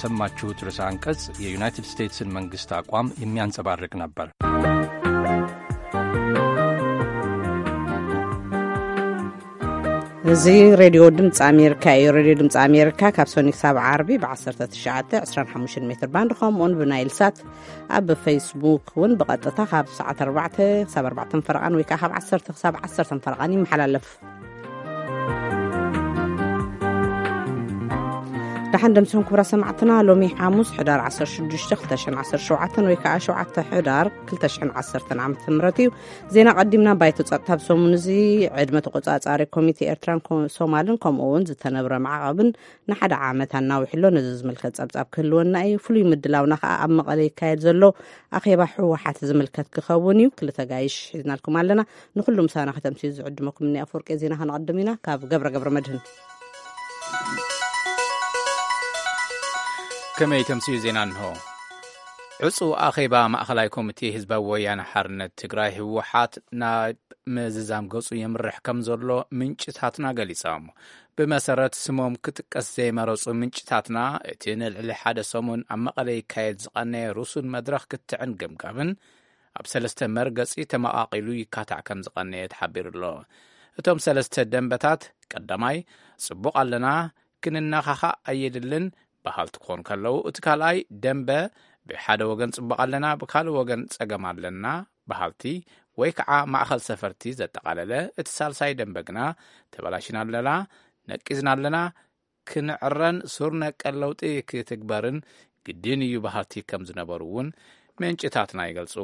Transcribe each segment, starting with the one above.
ሰማችሁት ርዕሰ አንቀጽ የዩናይትድ ስቴትስን መንግስት አቋም የሚያንጸባርቅ ነበር። እዚ ሬድዮ ድምፂ ኣሜሪካ እዩ። ሬድዮ ድምፂ ኣሜሪካ ካብ ሰኒ ክሳብ ዓርቢ ብ19፣ 25 ሜትር ባንድ፣ ከምኡውን ብናይል ሳት፣ ኣብ ፌስቡክ እውን ብቐጥታ ካብ ሰዓት ኣርባዕተ ክሳብ ኣርባዕተ ፈረቓን ወይ ከዓ ካብ ዓሰርተ ክሳብ ዓሰርተ ፈረቓን ይመሓላለፍ። ደሓን ደምሲኹም ክቡራት ሰማዕትና፣ ሎሚ ሓሙስ ሕዳር ዓሰርተ ሽዱሽተ ክልተ ሽሕን ዓሰርተ ሸውዓተን ወይ ከዓ ሸውዓተ ሕዳር ክልተ ሽሕን ዓሰርተን ዓመተ ምህረት እዩ። ዜና ቀዲምና። ባይቶ ጸጥታ ኣብ ሰሙን እዚ ዕድመ ተቆጻጻሪ ኮሚቴ ኤርትራን ኮ-፣ ሶማልን ከምኡ እውን ዝተነብረ ማዕቐብን ንሓደ ዓመት ኣናዊሕሎ። ነዚ ዝምልከት ጸብጻብ ክህልወና እዩ። ፍሉይ ምድላውና ከኣ ኣብ መቐለ ይካየድ ዘሎ ኣኼባ ህወሓት ዝምልከት ክኸውን እዩ። ክልተ ጋይሽ ሒዝናልኩም ኣለና። ንኹሉ ምሳና ከተምስዩ ዝዕድመኩም እኒ ኣፈወርቂ ዜና ከነቐድም ኢና። ካብ ገብረ ገብረ መድህን። ከመይ ተምስዩ ዜና እንሆ። ዕጹው ኣኼባ ማእኸላይ ኮሚቴ ህዝባዊ ወያነ ሓርነት ትግራይ ህወሓት ናብ ምዝዛም ገጹ የምርሕ ከም ዘሎ ምንጭታትና ገሊጾም። ብመሰረት ስሞም ክጥቀስ ዘይመረጹ ምንጭታትና፣ እቲ ንልዕሊ ሓደ ሰሙን ኣብ መቐለ ይካየድ ዝቐነየ ርሱን መድረኽ ክትዕን ገምጋምን ኣብ ሰለስተ መርገጺ ተመቓቒሉ ይካታዕ ከም ዝቐነየ ተሓቢሩ ኣሎ። እቶም ሰለስተ ደንበታት፣ ቀዳማይ፣ ጽቡቕ ኣለና፣ ክንነኻኻእ ኣየድልን በሃልቲ ክኾኑ ከለዉ፣ እቲ ካልኣይ ደንበ ብሓደ ወገን ጽቡቕ ኣለና፣ ብካልእ ወገን ጸገም ኣለና በሃልቲ ወይ ከዓ ማእኸል ሰፈርቲ ዘጠቓለለ፣ እቲ ሳልሳይ ደንበ ግና ተበላሽና ኣለና፣ ነቂዝና ኣለና፣ ክንዕረን ሱር ነቀል ለውጢ ክትግበርን ግድን እዩ በሃልቲ ከም ዝነበሩ እውን ምንጭታትና ይገልጹ።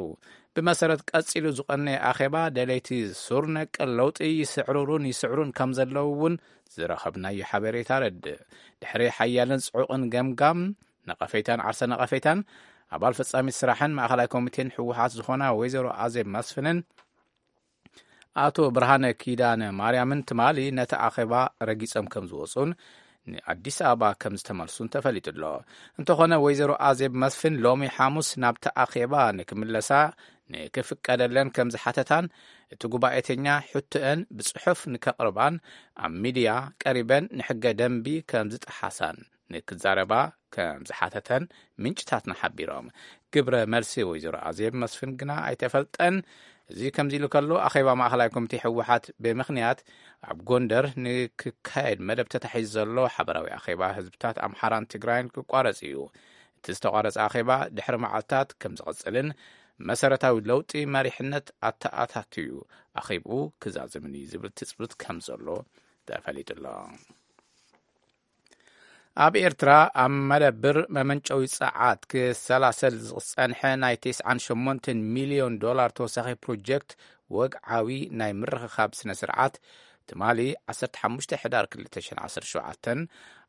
ብመሰረት ቀጺሉ ዝቐነየ ኣኼባ፣ ደለይቲ ሱር ነቀል ለውጢ ይስዕርሩን ይስዕሩን ከም ዘለዉ እውን ዝረኸብናዮ ሓበሬታ ረድእ። ድሕሪ ሓያልን ጽዑቕን ገምጋም፣ ነቐፌታን ዓርሰ ነቐፌታን፣ ኣባል ፈጻሚት ስራሕን ማእኸላይ ኮሚቴን ህወሓት ዝኾና ወይዘሮ ኣዜብ መስፍንን ኣቶ ብርሃነ ኪዳነ ማርያምን ትማሊ ነቲ ኣኼባ ረጊጾም ከም ዝወጹን ንኣዲስ ኣበባ ከም ዝተመልሱን ተፈሊጡ ኣሎ። እንተኾነ፣ ወይዘሮ ኣዜብ መስፍን ሎሚ ሓሙስ ናብቲ ኣኼባ ንክምለሳ ንክፍቀደለን ከም ዝሓተታን፣ እቲ ጉባኤተኛ ሕቶአን ብጽሑፍ ንከቕርባን ኣብ ሚድያ ቀሪበን ንሕገ ደንቢ ከም ዝጠሓሳን ንክዛረባ ከም ዝሓተተን ምንጭታትና ሓቢሮም። ግብረ መልሲ ወይዘሮ ኣዜብ መስፍን ግና ኣይተፈልጠን። እዚ ከምዚ ኢሉ ከሎ፣ ኣኼባ ማእኸላይ ኮሚቴ ህወሓት ብምኽንያት ኣብ ጎንደር ንክካየድ መደብ ተታሒዙ ዘሎ ሓበራዊ ኣኼባ ህዝብታት ኣምሓራን ትግራይን ክቋረጽ እዩ። እቲ ዝተቋረጸ ኣኼባ ድሕሪ መዓልታት ከም ዝቕጽልን መሰረታዊ ለውጢ መሪሕነት ኣተኣታትዩ ኣኼብኡ ክዛዝምን እዩ ዝብል ትጽብት ከም ዘሎ ተፈሊጡ ኣሎ። ኣብ ኤርትራ ኣብ መደብር መመንጨዊ ጸዓት ክሰላሰል ዝጸንሐ ናይ ተስዓን ሸሞንተን ሚልዮን ዶላር ተወሳኺ ፕሮጀክት ወግዓዊ ናይ ምርኽኻብ ስነ ስርዓት ትማሊ ዓሰርተ ሓሙሽተ ሕዳር ክልተ ሽሕን ዓሰርተ ሸውዓተን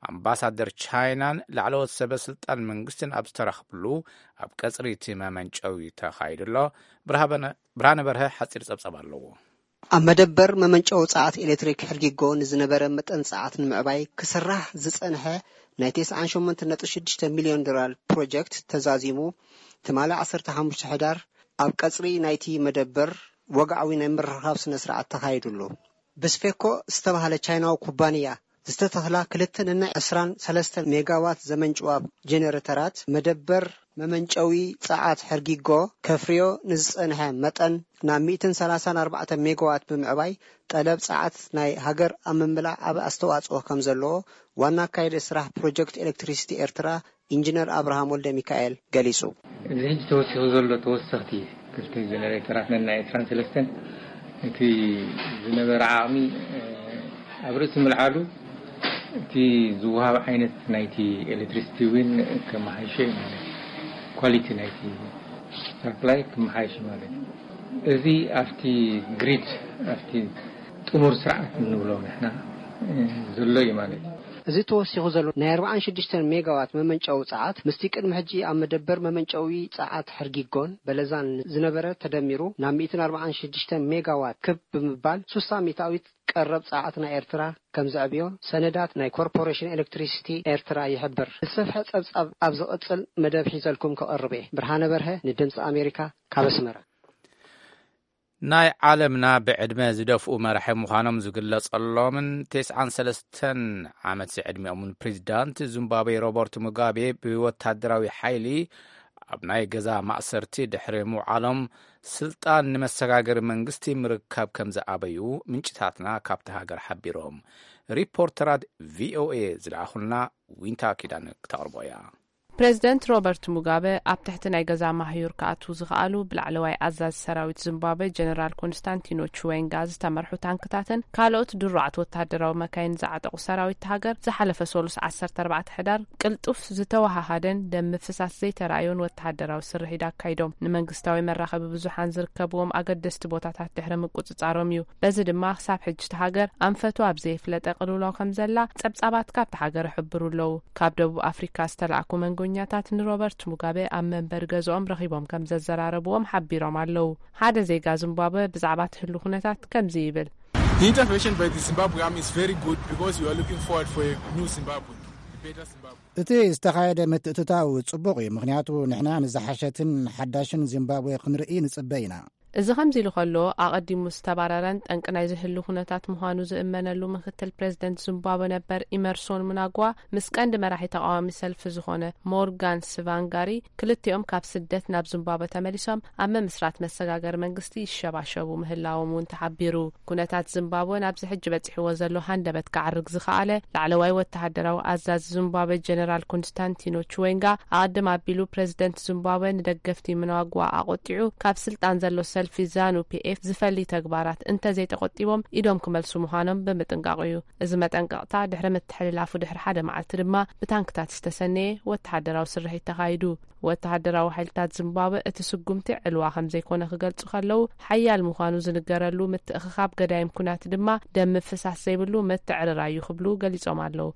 ኣምባሳደር ቻይናን ላዕለዎት ሰበ ስልጣን መንግስትን ኣብ ዝተረኽብሉ ኣብ ቀጽሪ እቲ መመንጨዊ ተኻይዱ ኣሎ። ብርሃበነ-፣ ብርሃነ በርሀ ሓጺር ጸብጸብ ኣለዎ። ኣብ መደበር መመንጨዊ ጸዓት ኤሌክትሪክ ሕርጊጎ ንዝነበረ መጠን ጸዓት ንምዕባይ ክስራሕ ዝጸንሐ ናይ ተስዓን ሸሞንተን ነጥቢ ሽዱሽተ ሚልዮን ዶላር ፕሮጀክት ተዛዚሙ ትማሊ ዓሰርተ ሓሙሽተ ሕዳር ኣብ ቀጽሪ ናይቲ መደበር ወግዓዊ ናይ ምርኻብ ስነ ስርዓት ተኻይዱ ኣሎ። ብስፌኮ ዝተባህለ ቻይናዊ ኩባንያ ዝተተኽላ ክልተ ነናይ ዕስራን ሰለስተን ሜጋዋት ዘመንጭዋ ጄኔሬተራት መደበር መመንጨዊ ጸዓት ሕርጊጎ ከፍርዮ ንዝጸንሐ መጠን ናብ ሚእትን ሰላሳን ኣርባዕተ ሜጋዋት ብምዕባይ ጠለብ ጸዓት ናይ ሃገር ኣብ ምምላእ ዓቢ ኣስተዋጽኦ ከም ዘለዎ ዋና ኣካያዲ ስራሕ ፕሮጀክት ኤሌክትሪሲቲ ኤርትራ ኢንጂነር ኣብርሃም ወልደ ሚካኤል ገሊጹ። እዚ ሕጂ ተወሲኹ ዘሎ ተወሰኽቲ ክልተ ጀነሬተራት ነናይ ዕስራን ሰለስተን እቲ ዝነበረ ዓቕሚ፣ እ፣ ኣብ ርእሲ ምልዓሉ እቲ ዝወሃብ ዓይነት ናይቲ ኤሌክትሪሲቲ እውን ከመሓይሾ እዩ ማለት እዩ። ኳሊቲ ናይቲ ሳፕላይ ክመሓይሽ ማለት እዩ። እዚ ኣብቲ ግሪድ፣ ኣብቲ ጥሙር ስርዓት እንብሎ ንሕና፣ እ፣ ዘሎ እዩ ማለት እዩ። እዚ ተወሲኹ ዘሎ ናይ ኣርባዓን ሽዱሽተን ሜጋዋት መመንጨዊ ጸዓት ምስቲ ቅድሚ ሕጂ ኣብ መደበር መመንጨዊ ጸዓት ሕርጊጎን በለዛን ዝነበረ ተደሚሩ ናብ ሚእትን ኣርባዓን ሽዱሽተን ሜጋዋት ክብ ብምባል ሱሳ ሚእታዊት ቀረብ ጸዓት ናይ ኤርትራ ከም ዘዕብዮ ሰነዳት ናይ ኮርፖሬሽን ኤሌክትሪሲቲ ኤርትራ ይሕብር። ዝሰፍሐ ጸብጻብ ኣብ ዝቕጽል መደብ ሒዘልኩም ክቐርብ እየ። ብርሃነ በርሀ ንድምጺ ኣሜሪካ ካብ ኣስመራ። ናይ ዓለምና ብዕድመ ዝደፍኡ መራሒ ምዃኖም ዝግለጸሎምን ተስዓን ሰለስተን ዓመት ዝዕድሚኦምን ፕሬዚዳንት ዚምባብዌ ሮበርት ሙጋቤ ብወታደራዊ ሓይሊ ኣብ ናይ ገዛ ማእሰርቲ ድሕሪ ምውዓሎም፣ ስልጣን ንመሰጋገሪ መንግስቲ ምርካብ ከም ዝኣበዩ ምንጭታትና ካብቲ ሃገር ሓቢሮም። ሪፖርተራት ቪኦኤ ዝለኣኹልና ዊንታ ኪዳን ክተቕርቦ እያ። ፕሬዚደንት ሮበርት ሙጋበ ኣብ ትሕቲ ናይ ገዛ ማህዩር ክኣትዉ ዝኸኣሉ ብላዕለዋይ ኣዛዚ ሰራዊት ዚምባብዌ ጀነራል ኮንስታንቲኖ ቹዌንጋ ዝተመርሑ ታንክታትን ካልኦት ድሩዓት ወታደራዊ መካይን ዝዓጠቑ ሰራዊት ሃገር ዝሓለፈ ሰሉስ ዓሰርተ ኣርባዕተ ሕዳር ቅልጡፍ ዝተወሃሃደን ደም ምፍሳስ ዘይተራእዮን ወተሃደራዊ ስርሒት ኣካይዶም። ንመንግስታዊ መራኸቢ ብዙሓን ዝርከብዎም ኣገደስቲ ቦታታት ድሕሪ ምቁጽጻሮም እዩ። በዚ ድማ ክሳብ ሕጂ እቲ ሃገር ኣንፈቱ ኣብ ዘይፍለጠ ቅልውላው ከም ዘላ ጸብጻባት ካብቲ ሃገር ይሕብሩ ኣለዉ። ካብ ደቡብ ኣፍሪካ ዝተላእኩ መንጎኛታት ንሮበርት ሙጋበ ኣብ መንበሪ ገዝኦም ረኺቦም ከም ዘዘራረብዎም ሓቢሮም ኣለዉ። ሓደ ዜጋ ዚምባብወ ብዛዕባ እቲ ህሉ ኩነታት ከምዚ ይብል። The intervention by the Zimbabwe army is very good because we are looking forward for a new Zimbabwe, a better Zimbabwe. እቲ ዝተኻየደ ምትእትታው ጽቡቕ እዩ፣ ምኽንያቱ ንሕና ንዝሓሸትን ሓዳሽን ዚምባብዌ ክንርኢ ንጽበ ኢና። እዚ ከምዚ ኢሉ ከሎ፣ ኣቐዲሙ ዝተባረረን ጠንቂ ናይ ዝህሉ ኩነታት ምዃኑ ዝእመነሉ ምክትል ፕሬዚደንት ዚምባብወ ነበር ኢመርሶን ምናጓ ምስ ቀንዲ መራሒ ተቃዋሚ ሰልፊ ዝኾነ ሞርጋን ስቫንጋሪ ክልቲኦም ካብ ስደት ናብ ዚምባብወ ተመሊሶም ኣብ ምምስራት መሰጋገሪ መንግስቲ ይሸባሸቡ ምህላዎም እውን ተሓቢሩ። ኩነታት ዚምባብወ ናብዚ ሕጂ በጺሕዎ ዘሎ ሃንደበት ክዓርግ ዝኸኣለ ላዕለዋይ ወተሃደራዊ ኣዛዚ ዚምባብወ ጀነራል ኮንስታንቲኖ ቹዌንጋ ኣቐድም ኣቢሉ ፕሬዚደንት ዚምባብወ ንደገፍቲ ምናጓ ኣቖጢዑ ካብ ስልጣን ዘሎ ሰልፊ ዛኑ ፒኤፍ ዝፈሊ ተግባራት እንተዘይተቆጢቦም ኢዶም ክመልሱ ምዃኖም ብምጥንቃቑ እዩ። እዚ መጠንቀቕታ ድሕሪ ምትሕልላፉ ድሕሪ ሓደ መዓልቲ ድማ ብታንክታት ዝተሰነየ ወተሃደራዊ ስርሒት ተኻይዱ። ወተሃደራዊ ሓይልታት ዚምባብወ እቲ ስጉምቲ ዕልዋ ከም ዘይኮነ ክገልጹ ከለዉ፣ ሓያል ምዃኑ ዝንገረሉ ምትእኽኻብ ገዳይም ኩናት ድማ ደም ምፍሳስ ዘይብሉ ምትዕርራይ እዩ ክብሉ ገሊጾም ኣለዉ።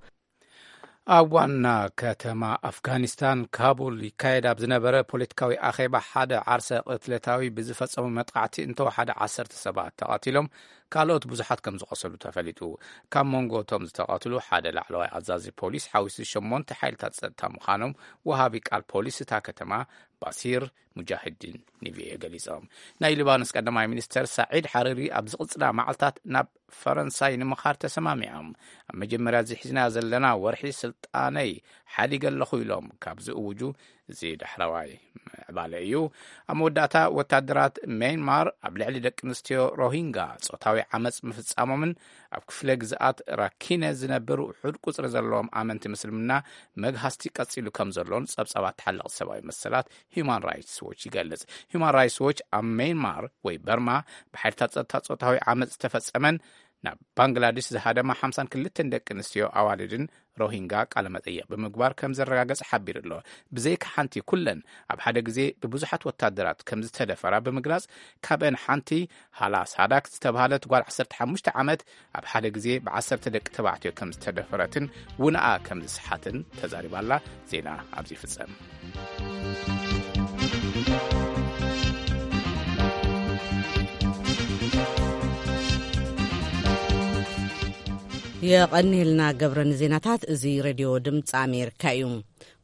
ኣብ ዋና ከተማ ኣፍጋኒስታን ካቡል ይካየድ ኣብ ዝነበረ ፖለቲካዊ ኣኼባ ሓደ ዓርሰ ቅትለታዊ ብዝፈጸሙ መጥቃዕቲ እንተወሓደ ዓሰርተ ሰባት ተቐቲሎም፣ ካልኦት ብዙሓት ከም ዝቖሰሉ ተፈሊጡ። ካብ መንጎ እቶም ዝተቐትሉ ሓደ ላዕለዋይ ኣዛዚ ፖሊስ ሓዊሱ ሸሞንተ ሓይልታት ጸጥታ ምዃኖም ወሃቢ ቃል ፖሊስ እታ ከተማ ባሲር ሙጃሂዲን ንቪኦኤ ገሊጾም። ናይ ሊባኖስ ቀዳማይ ሚኒስተር ሳዒድ ሓሪሪ ኣብ ዝቕጽላ መዓልታት ናብ ፈረንሳይ ንምኻድ ተሰማሚዖም። ኣብ መጀመርያ እዚ ሒዝና ዘለና ወርሒ ስልጣነይ ሓዲገ ኣለኹ ኢሎም ካብ ዝእውጁ እዚ ዳሕረዋይ ምዕባለ እዩ። ኣብ መወዳእታ ወታደራት ሜንማር ኣብ ልዕሊ ደቂ ኣንስትዮ ሮሂንጋ ጾታዊ ዓመጽ ምፍጻሞምን ኣብ ክፍለ ግዝኣት ራኪነ ዝነብር ውሑድ ቁጽሪ ዘለዎም ኣመንቲ ምስልምና መግሃስቲ ቀጺሉ ከም ዘሎን ጸብጻባት ተሓለቕቲ ሰብኣዊ መሰላት ሂዩማን ራይትስ ዎች ይገልጽ። ሂዩማን ራይትስ ዎች ኣብ ሜንማር ወይ በርማ ብሓይልታት ጸጥታ ጾታዊ ዓመጽ ዝተፈጸመን ናብ ባንግላዴሽ ዝሃደማ ሓምሳን ክልተን ደቂ ኣንስትዮ ኣዋልድን ሮሂንጋ ቃለ መጠይቕ ብምግባር ከም ዘረጋገጸ ሓቢሩ ኣሎ። ብዘይካ ሓንቲ ኩለን ኣብ ሓደ ግዜ ብብዙሓት ወታደራት ከም ዝተደፈራ ብምግላጽ፣ ካብአን ሓንቲ ሃላ ሳዳክ ዝተባህለት ጓል ዓሰርተ ሓሙሽተ ዓመት ኣብ ሓደ ግዜ ብዓሰርተ ደቂ ተባዕትዮ ከም ዝተደፈረትን ውንኣ ከም ዝሰሓትን ተዛሪባ ኣላ። ዜና ኣብዚ ይፍጸም። የቐንየልና ገብረ ንዜናታት። እዚ ሬድዮ ድምፂ ኣሜሪካ እዩ።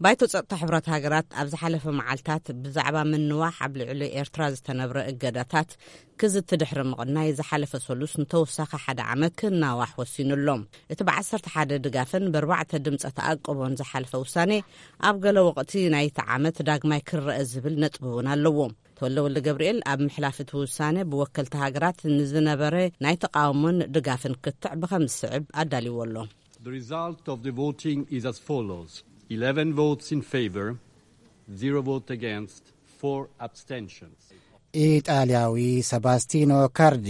ባይቶ ጸጥታ ሕቡራት ሃገራት ኣብ ዝሓለፈ መዓልታት ብዛዕባ ምንዋሕ ኣብ ልዕሊ ኤርትራ ዝተነብረ እገዳታት ክዝቲ ድሕሪ ምቕናይ፣ ዝሓለፈ ሰሉስ ንተወሳኺ ሓደ ዓመት ክናዋሕ ወሲኑ ኣሎ። እቲ ብዓሰርተ ሓደ ድጋፍን ብኣርባዕተ ድምፀ ተኣቅቦን ዝሓለፈ ውሳኔ ኣብ ገለ ወቕቲ ናይቲ ዓመት ዳግማይ ክረአ ዝብል ነጥቢ እውን ኣለዎ። ተወልደ ወልደ ገብርኤል ኣብ ምሕላፍ እቲ ውሳነ ብወከልቲ ሃገራት ንዝነበረ ናይ ተቓውሞን ድጋፍን ክትዕ ብኸም ዝስዕብ ኣዳልዎ ኣሎ። The result of the voting is as follows: eleven votes in favor, zero vote against, four abstentions. ኢጣልያዊ ሰባስቲኖ ካርዲ፣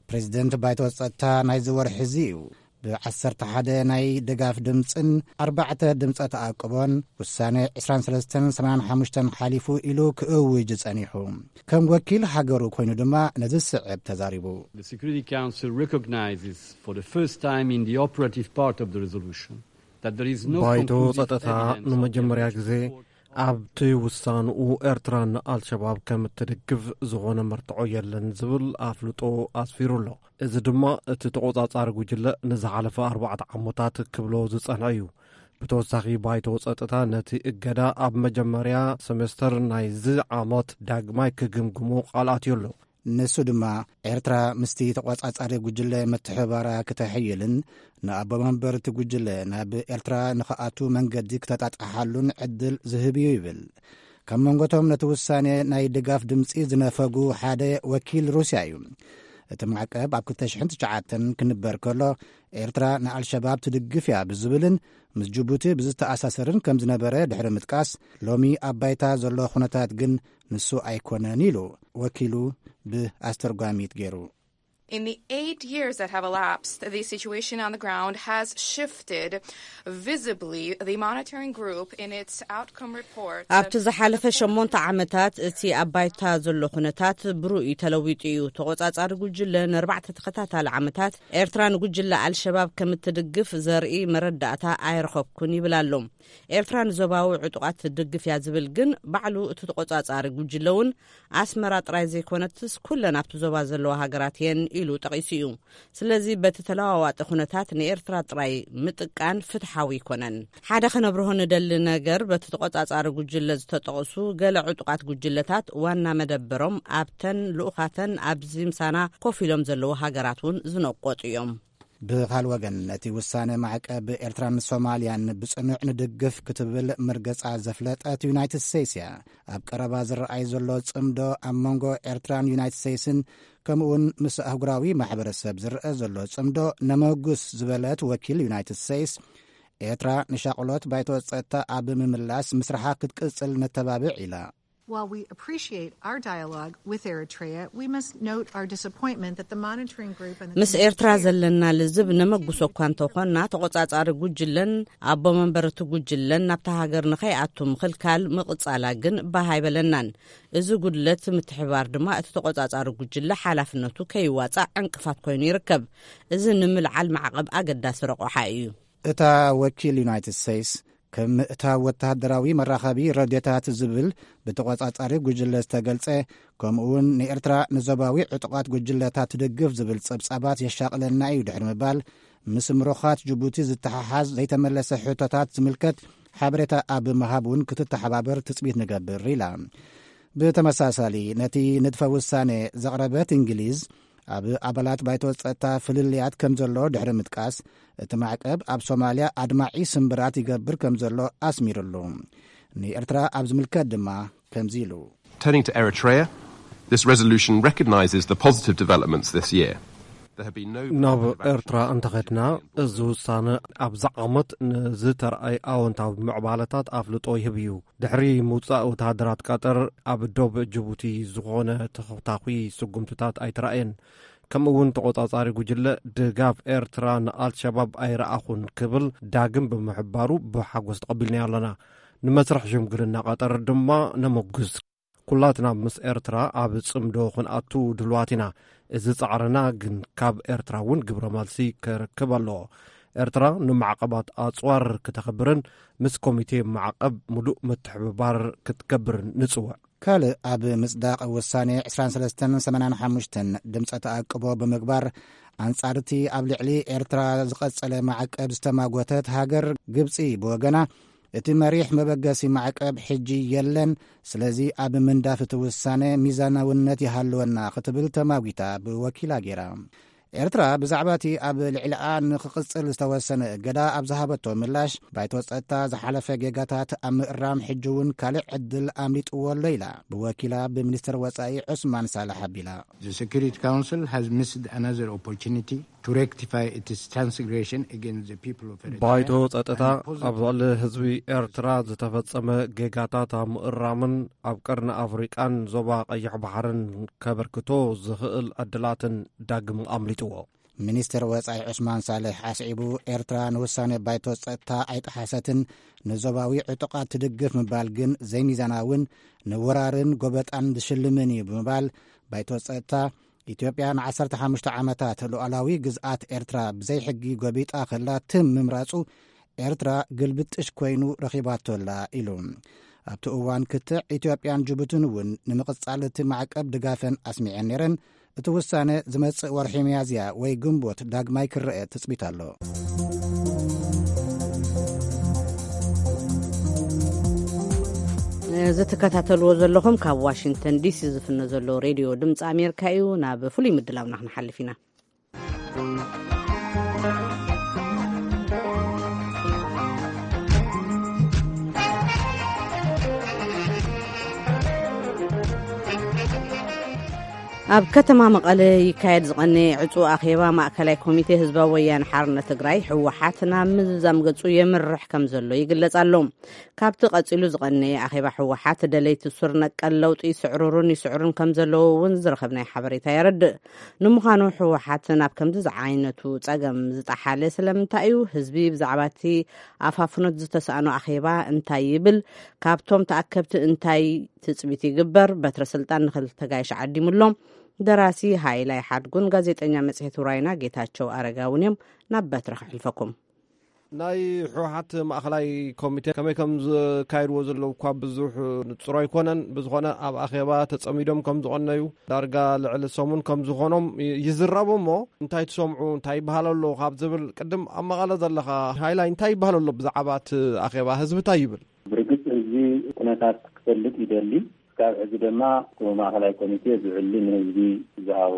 ፕሬዚደንት ባይቶ ጸጥታ ናይዚ ወርሒ እዚ እዩ። ብዓሰርተ ሓደ ናይ ድጋፍ ድምጽን ኣርባዕተ ድምጸ ተኣቅቦን ውሳነ ዕስራን ሰለስተን ሰማንያን ሓሙሽተን ሓሊፉ ኢሉ ክእውጅ ጸኒሑ። ከም ወኪል ሃገሩ ኮይኑ ድማ ነዚ ዝስዕብ ተዛሪቡ። The Security Council recognizes for the first time in the operative part of the resolution that there is no ባይቶ conclusive ጸጥታ evidence of ንምጀመርያ terrorist ግዜ support ኣብቲ ውሳንኡ ኤርትራ ንኣልሸባብ ከም እትድግፍ ዝኾነ መርትዖ የለን ዝብል ኣፍልጦ ኣስፊሩ ኣሎ። እዚ ድማ እቲ ተቖጻጻሪ ጉጅለ ንዝሓለፈ ኣርባዕተ ዓመታት ክብሎ ዝጸንሐ እዩ። ብተወሳኺ ባይቶ ጸጥታ ነቲ እገዳ ኣብ መጀመርያ ሰሜስተር ናይዚ ዓመት ዳግማይ ክግምግሞ ቃል ኣትዩ ኣሎ። ንሱ ድማ ኤርትራ ምስቲ ተቖጻጻሪ ጉጅለ ምትሕባራ ክተሕይልን ንኣቦ መንበር እቲ ጉጅለ ናብ ኤርትራ ንኽኣቱ መንገዲ ክተጣጥሓሉን ዕድል ዝህብ እዩ ይብል። ካብ መንጎቶም ነቲ ውሳኔ ናይ ድጋፍ ድምጺ ዝነፈጉ ሓደ ወኪል ሩስያ እዩ። እቲ ማዕቀብ ኣብ ክልተ ሽሕን ትሽዓተን ክንበር ከሎ፣ ኤርትራ ንኣልሸባብ ትድግፍ እያ ብዝብልን ምስ ጅቡቲ ብዝተኣሳሰርን ከም ዝነበረ ድሕሪ ምጥቃስ፣ ሎሚ ኣብ ባይታ ዘሎ ኩነታት ግን ንሱ ኣይኮነን ኢሉ ወኪሉ ብኣስተርጓሚት ገይሩ። In the eight years that have elapsed, the situation on the ground has shifted visibly. The monitoring group, in its outcome report, ኣብቲ ዝሓለፈ ሸሞንተ ዓመታት እቲ ኣብ ባይታ ዘሎ ኩነታት ብሩይ ተለዊጡ እዩ። ተቖጻጻሪ ጉጅለ ንኣርባዕተ ተኸታታሊ ዓመታት ኤርትራ ንጉጅለ ኣልሸባብ ከም እትድግፍ ዘርኢ መረዳእታ ኣይረኸብኩን ይብል ኣሎ። ኤርትራ ንዞባዊ ዕጡቓት ትድግፍ እያ ዝብል ግን ባዕሉ እቲ ተቖጻጻሪ ጉጅለ እውን ኣስመራ ጥራይ ዘይኮነትስ ኩለን ኣብቲ ዞባ ዘለዋ ሃገራት እየን ኢሉ ጠቒሱ እዩ። ስለዚ በቲ ተለዋዋጢ ኩነታት ንኤርትራ ጥራይ ምጥቃን ፍትሓዊ ኣይኮነን። ሓደ ከነብርሆ ንደሊ ነገር በቲ ተቖጻጻሪ ጉጅለ ዝተጠቕሱ ገለ ዕጡቓት ጉጅለታት ዋና መደበሮም ኣብተን ልኡኻተን ኣብዚ ምሳና ኮፍ ኢሎም ዘለዉ ሃገራት እውን ዝነቆጡ እዮም። ብኻል ወገን ነቲ ውሳነ ማዕቀብ ኤርትራን ሶማልያን ብጽኑዕ ንድግፍ ክትብል መርገጻ ዘፍለጠት ዩናይትድ ስቴትስ እያ። ኣብ ቀረባ ዝረኣይ ዘሎ ጽምዶ ኣብ መንጎ ኤርትራን ዩናይትድ ስቴትስን ከምኡውን ምስ ኣህጉራዊ ማሕበረሰብ ዝረአ ዘሎ ጽምዶ ነመጉስ ዝበለት ወኪል ዩናይትድ ስቴትስ፣ ኤርትራ ንሻቕሎት ባይቶ ጸጥታ ኣብ ምምላስ ምስራሓ ክትቅጽል ነተባብዕ ኢላ። While we appreciate our dialogue with Eritrea, we must note our disappointment that the monitoring group and the ምስ ኤርትራ ዘለና ልዝብ ነመጉሶ እኳ እንተኾንና፣ ተቖጻጻሪ ጉጅለን ኣቦ መንበር እቲ ጉጅለን ናብታ ሃገር ንኸይኣቱ ምኽልካል ምቕጻላ ግን ባህ ኣይበለናን። እዚ ጉድለት ምትሕባር ድማ እቲ ተቖጻጻሪ ጉጅለ ሓላፍነቱ ከይዋጻእ ዕንቅፋት ኮይኑ ይርከብ። እዚ ንምልዓል ማዕቐብ ኣገዳሲ ረቑሓ እዩ። እታ ወኪል ዩናይትድ ስቴትስ ከም ምእታው ወተሃደራዊ መራኸቢ ረድዮታት ዝብል ብተቖጻጻሪ ጉጅለ ዝተገልጸ፣ ከምኡውን ንኤርትራ ንዞባዊ ዕጡቓት ጉጅለታት ትድግፍ ዝብል ጸብጻባት የሻቕለና እዩ ድሕሪ ምባል፣ ምስ ምሩኻት ጅቡቲ ዝተሓሓዝ ዘይተመለሰ ሕቶታት ዝምልከት ሓበሬታ ኣብ ምሃብ እውን ክትተሓባበር ትጽቢት ንገብር ኢላ። ብተመሳሳሊ ነቲ ንድፈ ውሳኔ ዘቕረበት እንግሊዝ፣ ኣብ ኣባላት ባይቶ ጸጥታ ፍልልያት ከም ዘሎ ድሕሪ ምጥቃስ፣ እቲ ማዕቀብ ኣብ ሶማልያ ኣድማዒ ስምብራት ይገብር ከም ዘሎ ኣስሚሩሉ። ንኤርትራ ኣብ ዝምልከት ድማ ከምዚ ኢሉ። Turning to Eritrea, this resolution recognises the positive developments this year. There have been no ናብ ኤርትራ እንተኸድና፣ እዚ ውሳነ ኣብዚ ዓመት ንዝተረኣይ ኣወንታዊ ምዕባለታት ኣፍልጦ ይህብ እዩ። ድሕሪ ምውጻእ ወተሃደራት ቀጠር፣ ኣብ ዶብ ጅቡቲ ዝኾነ ተኸታኺ ስጉምትታት ኣይተራእየን። ከምኡ እውን ተቖጻጻሪ ጉጅለ ድጋፍ ኤርትራ ንኣልሸባብ ኣይረኣኹን ክብል ዳግም ብምሕባሩ ብሓጎስ ተቐቢልናዮ ኣለና። ንመስርሕ ሽምግልና ቀጠር ድማ ነመጉስ። ኩላትና ምስ ኤርትራ ኣብ ጽምዶ ክንኣቱ ድልዋት ኢና። እዚ ጻዕርና ግን ካብ ኤርትራ እውን ግብረ መልሲ ክረክብ ኣለዎ። ኤርትራ ንማዕቐባት ኣጽዋር ክተኽብርን ምስ ኮሚቴ ማዕቐብ ምሉእ ምትሕብባር ክትገብርን ንጽውዕ። ካልእ ኣብ ምጽዳቕ ውሳኔ ዕስራን ሰለስተን ሰማንያን ሓሙሽተን ድምጸ ተኣቅቦ ብምግባር፣ ኣንጻር እቲ ኣብ ልዕሊ ኤርትራ ዝቐጸለ ማዕቀብ ዝተማጎተት ሃገር ግብጺ ብወገና፣ እቲ መሪሕ መበገሲ ማዕቀብ ሕጂ የለን፣ ስለዚ ኣብ ምንዳፍ እቲ ውሳነ ሚዛናውነት ይሃልወና ክትብል ተማጒታ ብወኪላ ገይራ። ኤርትራ ብዛዕባ እቲ ኣብ ልዕሊኣ ንኽቕጽል ዝተወሰነ እገዳ ኣብ ዝሃበቶ ምላሽ፣ ባይቶ ጸጥታ ዝሓለፈ ጌጋታት ኣብ ምእራም ሕጂ እውን ካልእ ዕድል ኣምሊጥዎ ኣሎ ኢላ ብወኪላ ብሚኒስትር ወጻኢ ዑስማን ሳልሕ ኣቢላ። The Security Council has missed another opportunity to rectify its transgression against the people of Eritrea. ባይቶ ጸጥታ ኣብ ልዕሊ ህዝቢ ኤርትራ ዝተፈጸመ ጌጋታት ኣብ ምእራምን ኣብ ቀርኒ ኣፍሪቃን ዞባ ቀይሕ ባሕርን ከበርክቶ ዝኽእል ዕድላትን ዳግም ኣምሊጥዎ። ሚኒስትር ወጻኢ ዑስማን ሳልሕ ኣስዒቡ፣ ኤርትራ ንውሳነ ባይቶ ጸጥታ ኣይጠሓሰትን፣ ንዞባዊ ዕጡቓት ትድግፍ ምባል ግን ዘይሚዛናውን ንወራርን ጎበጣን ዝሽልምን እዩ ብምባል፣ ባይቶ ጸጥታ ኢትዮጵያ ንዓሰርተ ሓሙሽተ ዓመታት ሉዓላዊ ግዝኣት ኤርትራ ብዘይሕጊ ጎቢጣ ከላ ትም ምምራጹ ኤርትራ ግልብጥሽ ኮይኑ ረኺባቶ ኣላ ኢሉ። ኣብቲ እዋን ክትዕ ኢትዮጵያን ጅቡትን እውን ንምቕጻል እቲ ማዕቀብ ድጋፈን ኣስሚዐን ነይረን። እቲ ውሳነ ዝመጽእ ወርሒ ሚያዝያ ወይ ግንቦት ዳግማይ ክረአ ትጽቢት ኣሎ። እዚ ትከታተልዎ ዘለኹም ካብ ዋሽንግተን ዲሲ ዝፍኖ ዘሎ ሬድዮ ድምፂ ኣሜሪካ እዩ። ናብ ፍሉይ ምድላውና ክንሓልፍ ኢና። ኣብ ከተማ መቐለ ይካየድ ዝቐነየ ዕጹ ኣኼባ ማእከላይ ኮሚቴ ህዝባዊ ወያነ ሓርነት ትግራይ፣ ህወሓት፣ ናብ ምዝዛም ገጹ የምርሕ ከም ዘሎ ይግለጽ ኣሎ። ካብቲ ቀጺሉ ዝቐነየ ኣኼባ፣ ህወሓት ደለይቲ ሱር ነቀል ለውጢ ይስዕርሩን ይስዕሩን ከም ዘለዉ እውን ዝረኸብናዮ ሓበሬታ የረድእ። ንምዃኑ ህወሓት ናብ ከምዚ ዝዓይነቱ ጸገም ዝጠሓለ ስለምንታይ እዩ? ህዝቢ ብዛዕባ እቲ ኣፋፍኖት ዝተሳእኖ ኣኼባ እንታይ ይብል? ካብቶም ተኣከብቲ እንታይ ትጽቢት ይግበር? በትረ ስልጣን ንኽልተ ጋይሽ ዓዲሙሎም። ደራሲ ሃይላይ ሓድጉን ጋዜጠኛ መጽሔት ውራይና ጌታቸው ኣረጋውን እዮም። ናብ በትረ ከሕልፈኩም። ናይ ህወሓት ማእኸላይ ኮሚቴ ከመይ ከም ዝካየድዎ ዘለዉ እኳ ብዙሕ ንጹር ኣይኮነን። ብዝኾነ ኣብ ኣኼባ ተጸሚዶም ከም ዝቐነዩ፣ ዳርጋ ልዕሊ ሰሙን ከም ዝኾኖም ይ-፣ ይዝረቡ እሞ፣ እንታይ ትሰምዑ፣ እንታይ ይበሃል ኣሎ ካብ ዝብል፣ ቅድም ኣብ መቐለ ዘለኻ ሃይላይ፣ እንታይ ይበሃል ኣሎ ብዛዕባ እቲ ኣኼባ? ህዝቢ እንታይ ይብል? ብርግጽ ህዝቢ ኩነታት ክፈልጥ ይደሊ። ክሳብ ሕዚ ድማ እቲ ማእኸላይ ኮሚቴ ዝዕሊ ንህዝቢ ዝሃቦ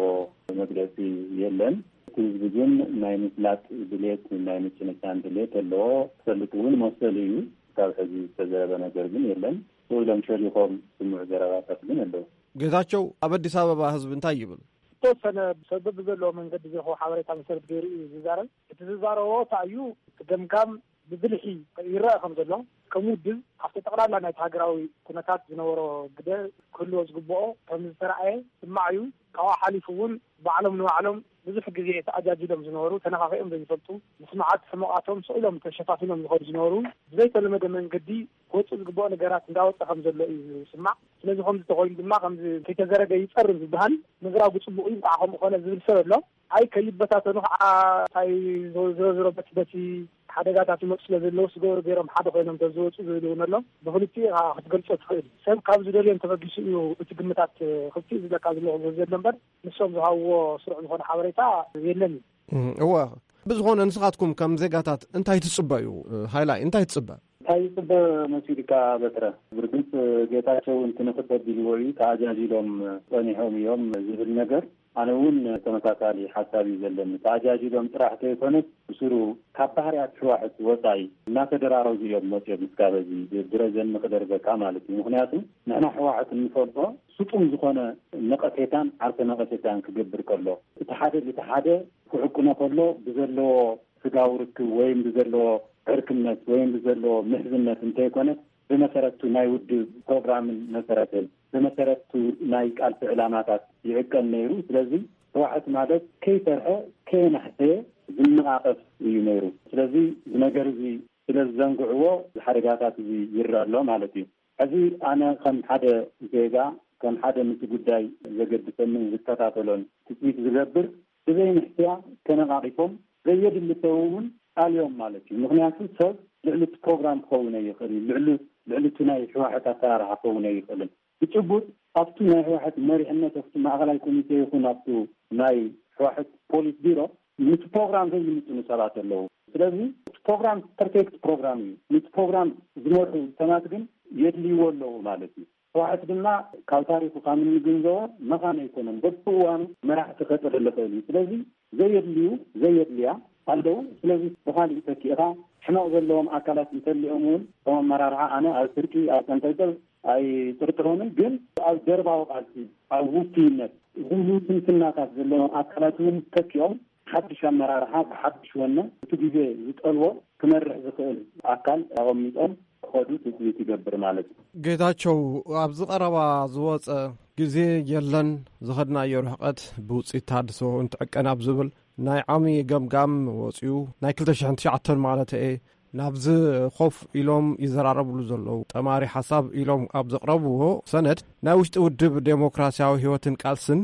መግለጺ የለን። እቲ ህዝቢ ግን ናይ ምፍላጥ ድሌት፣ ናይ ምጭንጫን ድሌት ኣለዎ። ክፈልጥ እውን መሰሉ እዩ። ክሳብ ሕዚ ዝተዘረበ ነገር ግን የለን። ስቕ ኢሎም ሸሪኾም ዝስምዑ ዘረባታት ግን ኣለዉ። ጌታቸው፣ ኣብ ኣዲስ ኣበባ ህዝቢ እንታይ ይብል? ዝተወሰነ ሰብ በብዘለዎ መንገዲ ዝረኽቦ ሓበሬታ መሰረት ገይሩ እዩ ዝዛረብ። እቲ ዝዛረቦ እንታይ እዩ? እቲ ገምጋም ብብልሒ ይረአ ከም ዘሎ፣ ከም ውድብ ኣብቲ ጠቕላላ ናይቲ ሃገራዊ ኩነታት ዝነበሮ ግደ ክህልዎ ዝግብኦ ከም ዝተረኣየ ስማዕ እዩ። ካብኡ ሓሊፉ እውን ባዕሎም ንባዕሎም ብዙሕ ግዜ ተኣጃጅሎም ዝነበሩ፣ ተነኻኺኦም ዘይፈልጡ፣ ምስማዓት ሕመቓቶም ስቕ ኢሎም ተሸፋፊኖም ዝኸዱ ዝነበሩ፣ ብዘይተለመደ መንገዲ ክወፅእ ዝግብኦ ነገራት እንዳወፀ ከም ዘሎ እዩ ዝስማዕ። ስለዚ ከምዚ ተኾይኑ ድማ ከምዚ ከይተዘረገ ይፀርብ ዝበሃል ምዝራቡ ፅቡቕ እዩ፣ እንኳዕ ከምኡ ኮነ ዝብል ሰብ ኣሎ። ኣይ ከይበታተኑ ከዓ እንታይ ዝሮ ዝሮ በቲ በቲ ሓደጋታት ይመፁ ስለ ዘለዉ ስገሩ ገይሮም ሓደ ኮይኖም ተዝወፁ ዝብል እውን ኣሎ። ብክልቲኡ ኢኻ ክትገልፆ ትኽእል። ሰብ ካብ ዝደልዮም ተበጊሱ እዩ እቲ ግምታት ክልቲኡ ዝብለካ ዘለኹ ዘሎ እምበር ንሶም ዝሃብዎ ስሩዕ ዝኾነ ሓበሬታ የለን እዩ። እም፣ እወ። ብዝኾነ ንስኻትኩም ከም ዜጋታት እንታይ ትጽበዩ? ሃይላይ፣ እንታይ ትጽበ? እንታይ ይጽበ መሲልካ በትረ? ብርግጽ ጌታቸው እንትንኽድ ተቢልዎ እዩ፣ ተኣጃጂሎም ጸኒሖም እዮም ዝብል ነገር፣ ኣነ እውን ተመሳሳሊ ሓሳብ እዩ ዘለኒ። ተኣጃጂሎም ጥራሕ ከይኮነስ ብስሩ ካብ ባህርያት ህዋሕት ወጻኢ እናተደራረዙ እዮም መጽኦም እስካብ እዚ ብረዘን ንኽደርበካ ማለት እዩ። ምኽንያቱ ንሕና ህዋሕት እንፈልጦ ስጡም ዝኾነ ነቐፌታን ዓርሰ ነቐፌታን ክገብር ከሎ፣ እቲ ሓደ ነቲ ሓደ ክዕቅኖ ከሎ ብዘለዎ ስጋዊ ርክብ ወይም ብዘለዎ ዕርክነት ወይም ብዘለዎ ምሕዝነት እንተይኮነ ብመሰረቱ ናይ ውድብ ፕሮግራምን መሰረትን ብመሰረቱ ናይ ቃልሲ ዕላማታት ይዕቀን ነይሩ። ስለዚ ህወሓት ማለት ከይፈርሐ ከየናሕሰየ ዝነቓቐፍ እዩ ነይሩ። ስለዚ እዚ ነገር እዚ ስለ ዝዘንግዕዎ እዚ ሓደጋታት እዚ ይረአ ኣሎ ማለት እዩ። ሕዚ ኣነ ከም ሓደ ዜጋ፣ ከም ሓደ ምስቲ ጉዳይ ዘገድሰንን ዝከታተሎን ትፅቢት ዝገብር፣ ብዘይ ንሕስያ ተነቓቒፎም ዘየድሊ ሰብ እውን ኣልዮም ማለት እዩ። ምኽንያቱ ሰብ ልዕሊ እቲ ፕሮግራም ክኸውን ኣይኽእል እዩ። ልዕሊ፣ ልዕሊ እቲ ናይ ህወሓት ኣሰራርሓ ክኸውን ኣይኽእልን። ብጭቡጥ ኣብቲ ናይ ህወሓት መሪሕነት፣ ኣብቲ ማእኸላይ ኮሚቴ ይኹን ኣብቲ ናይ ህወሓት ፖሊስ ቢሮ ምስ ፕሮግራም ዘይምጥኑ ሰባት ኣለዉ። ስለዚ እቲ ፕሮግራም ፐርፌክት ፕሮግራም እዩ። ነቲ ፕሮግራም ዝመርሑ ሰባት ግን የድልይዎ ኣለዉ ማለት እዩ። ህወሓት ድማ ካብ ታሪኹ ካብ እንግንዘቦ መኻን ኣይኮነን። በብእዋኑ መራሕቲ ከጥርል ይኽእል እዩ። ስለዚ ዘየድልዩ፣ ዘየድልያ ኣለዉ። ስለዚ ብኻሊእ ተኪእኻ ሕመቕ ዘለዎም ኣካላት እንተልዮም እውን ከም ኣመራርሓ ኣነ ኣብ ስርቂ፣ ኣብ ቀንጠልጠል ኣይጥርጥሮምን። ግን ኣብ ደርባዊ ቃልሲ፣ ኣብ ውፍይነት፣ ዝህቡ ስንፍናታት ዘለዎም ኣካላት እውን ተኪኦም ሓድሽ ኣመራርሓ ብሓድሽ ወነ እቲ ግዜ ዝጠልቦ ክመርሕ ዝኽእል ኣካል ኣቐሚጦም ክኸዱ ትፅቢት ይገብር ማለት እዩ። ጌታቸው፣ ኣብዚ ቀረባ ዝወፀ ግዜ የለን፣ ዝኸድናዮ ርሕቀት ብውፅኢት ተሃድሶ እንትዕቀን ኣብ ዝብል ናይ ዓሚ ገምጋም ወፂኡ፣ ናይ ክልተ ሽሕን ትሽዓተን ማለት እየ፣ ናብዚ ኮፍ ኢሎም ይዘራረብሉ ዘለዉ ጠማሪ ሓሳብ ኢሎም ኣብ ዘቕረብዎ ሰነድ፣ ናይ ውሽጢ ውድብ ዴሞክራሲያዊ ህይወትን ቃልስን